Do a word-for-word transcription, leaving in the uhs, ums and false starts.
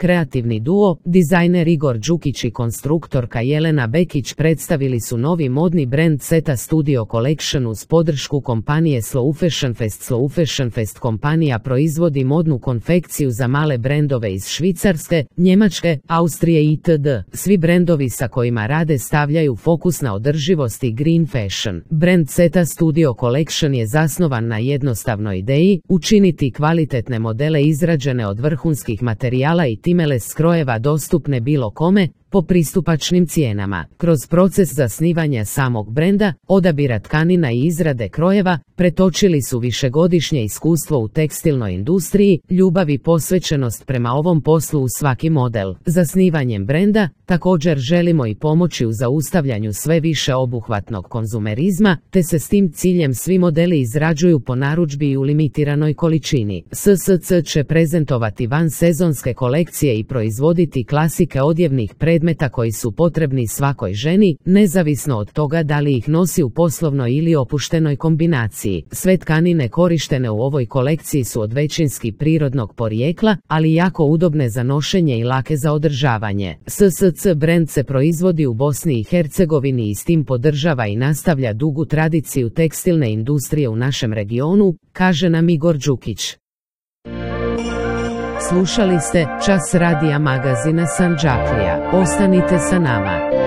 kreativni duo, dizajner Igor Đukić i konstruktorka Jelena Bekić predstavili su novi modni brend Zeta Studio Collection uz podršku kompanije Slow Fashion Fest. Slow Fashion Fest kompanija proizvodi modnu konfekciju za male brendove iz Švicarske, Njemačke, Austrije itd. Svi brendovi sa kojima rade stavljaju fokus na održivost i green fashion. Brend Zeta Studio Collection je zasnovan na jednostavnoj ideji učiniti kvalitetne modele izrađene od vrhunskih materijala i timeless skrojeva dostupne bilo kome, po pristupačnim cijenama. Kroz proces zasnivanja samog brenda, odabira tkanina i izrade krojeva, pretočili su višegodišnje iskustvo u tekstilnoj industriji, ljubav i posvećenost prema ovom poslu u svaki model. Zasnivanjem brenda, također želimo i pomoći u zaustavljanju sve više obuhvatnog konzumerizma, te se s tim ciljem svi modeli izrađuju po narudžbi i u limitiranoj količini. S S C će prezentovati vansezonske kolekcije i proizvoditi klasike odjevnih predmeta koji su potrebni svakoj ženi, nezavisno od toga da li ih nosi u poslovnoj ili opuštenoj kombinaciji. Sve tkanine korištene u ovoj kolekciji su od većinski prirodnog porijekla, ali jako udobne za nošenje i lake za održavanje. S S C brend se proizvodi u Bosni i Hercegovini i s tim podržava i nastavlja dugu tradiciju tekstilne industrije u našem regionu, kaže nam Igor Đukić. Slušali ste Čas radija magazina Sandžaklija. Ostanite sa nama.